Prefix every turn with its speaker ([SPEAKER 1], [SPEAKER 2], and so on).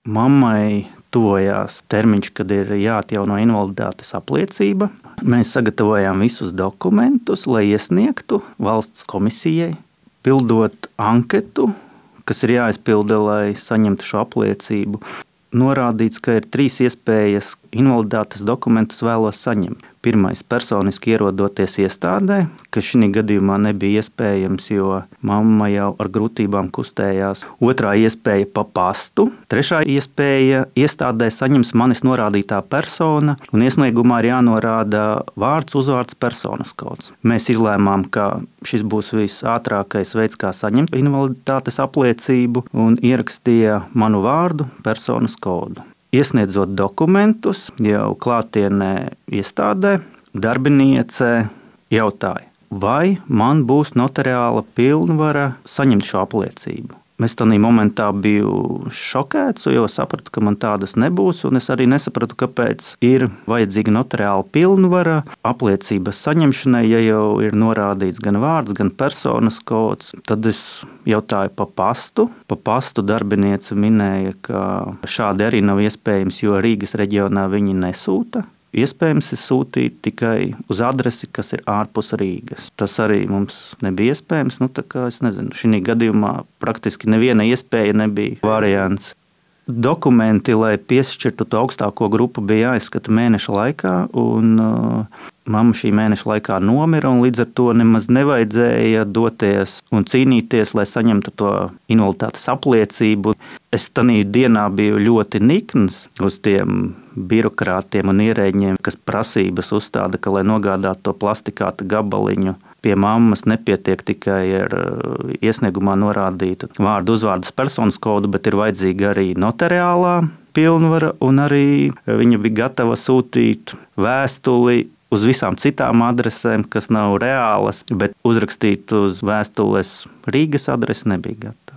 [SPEAKER 1] Mammai tuvojās termiņš, kad ir jāatjauno invaliditātes apliecība. Mēs sagatavojām visus dokumentus, lai iesniegtu valsts komisijai, pildot anketu, kas ir jāizpilda, lai saņemtu šo apliecību. Norādīts, ka ir 3 iespējas invaliditātes dokumentus vēlos saņemt. Pirmais – personiski ierodoties iestādē, kas šī gadījumā nebija iespējams, jo mamma jau ar grūtībām kustējās. Otrā iespēja – pa pastu. Trešā iespēja – iestādē saņems manis norādītā persona, un iesniegumā ir jānorāda vārds, uzvārds, personas kods. Mēs izlēmām, ka šis būs visātrākais veids, kā saņemt invaliditātes apliecību, un ierakstīja manu vārdu, personas kodu. Iesniedzot dokumentus, jau klātienē iestādē, darbiniece jautāja, vai man būs notariāla pilnvara saņemt šo apliecību. Es tajā momentā biju šokēts, jo sapratu, ka man tādas nebūs, un es arī nesapratu, kāpēc ir vajadzīga notariāla pilnvara apliecības saņemšanai, ja jau ir norādīts gan vārds, gan personas kods. Tad es jautāju pa pastu. Pa pastu darbiniece minēja, ka šādi arī nav iespējams, jo Rīgas reģionā viņi nesūta. Iespējams ir sūtīt tikai uz adresi, kas ir ārpus Rīgas. Tas arī mums nebija iespējams. Šī gadījumā praktiski neviena iespēja nebija variants. Dokumenti, lai piešķirtu to augstāko grupu, bija jāizskata mēneša laikā, un mamma šī mēneša laikā nomira, un līdz ar to nemaz nevajadzēja doties un cīnīties, lai saņemtu to invaliditātes apliecību. Es tajā dienā biju ļoti nikns uz tiem birokrātiem un ierēģiem, kas prasības uzstāda, ka, lai nogādātu to plastikāta gabaliņu, pie mammas nepietiek tikai ar iesniegumā norādītu vārdu, uzvārdu, personas kodu, bet ir vajadzīga arī notariālā pilnvara, un arī viņa bija gatava sūtīt vēstuli uz visām citām adresēm, kas nav reālas, bet uzrakstīt uz vēstules Rīgas adresi nebija gatava.